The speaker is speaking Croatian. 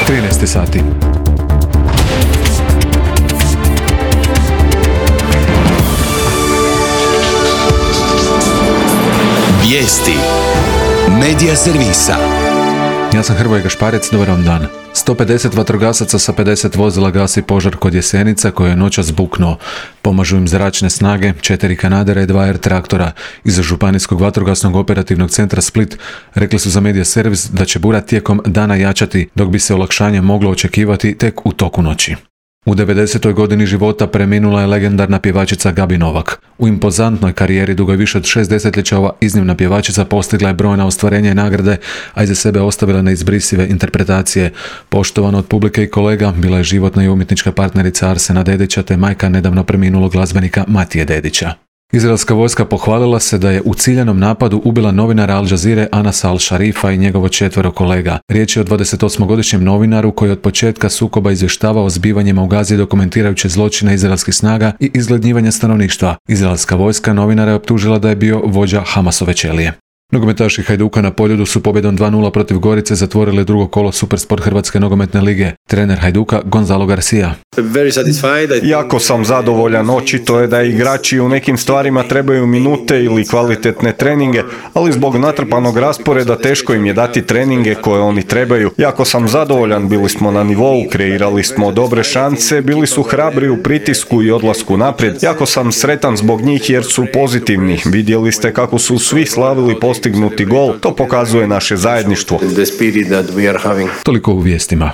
13 sati. Vijesti Medija servisa. Ja sam Hrvoje Gašparec, dobar vam dan. 150 vatrogasaca sa 50 vozila gasi požar kod Jesenica koji je noćas buknuo. Pomažu im zračne snage, 4 kanadera i 2 R-traktora. Iz Županijskog vatrogasnog operativnog centra Split rekli su za Medija servis da će bura tijekom dana jačati, dok bi se olakšanje moglo očekivati tek u toku noći. U 90. godini života preminula je legendarna pjevačica Gabi Novak. U impozantnoj karijeri dugoj više od 6 desetljeća ova iznimna pjevačica postigla je brojna ostvarenja i nagrade, a iza sebe ostavila neizbrisive interpretacije. Poštovana od publike i kolega, bila je životna i umjetnička partnerica Arsena Dedića te majka nedavno preminulog glazbenika Matije Dedića. Izraelska vojska pohvalila se da je u ciljanom napadu ubila novinara Al Jazeere Anasa Al-Sharifa i njegovo 4 kolega. Riječ je o 28-godišnjem novinaru koji od početka sukoba izvještavao o zbivanjima u Gazi dokumentirajući zločine izraelskih snaga i izgladnjivanja stanovništva. Izraelska vojska novinara je optužila da je bio vođa Hamasove ćelije. Nogometaši Hajduka na Poljudu su pobjedom 2:0 protiv Gorice zatvorili drugo kolo Supersport Hrvatske nogometne lige. Trener Hajduka Gonzalo Garcia. Jako sam zadovoljan, očito je da igrači u nekim stvarima trebaju minute ili kvalitetne treninge, ali zbog natrpanog rasporeda teško im je dati treninge koje oni trebaju. Jako sam zadovoljan, bili smo na nivou, kreirali smo dobre šanse, bili su hrabri u pritisku i odlasku naprijed. Jako sam sretan zbog njih jer su pozitivni. Vidjeli ste kako su svi slavili postignuti gol, to pokazuje naše zajedništvo. Toliko u vijestima.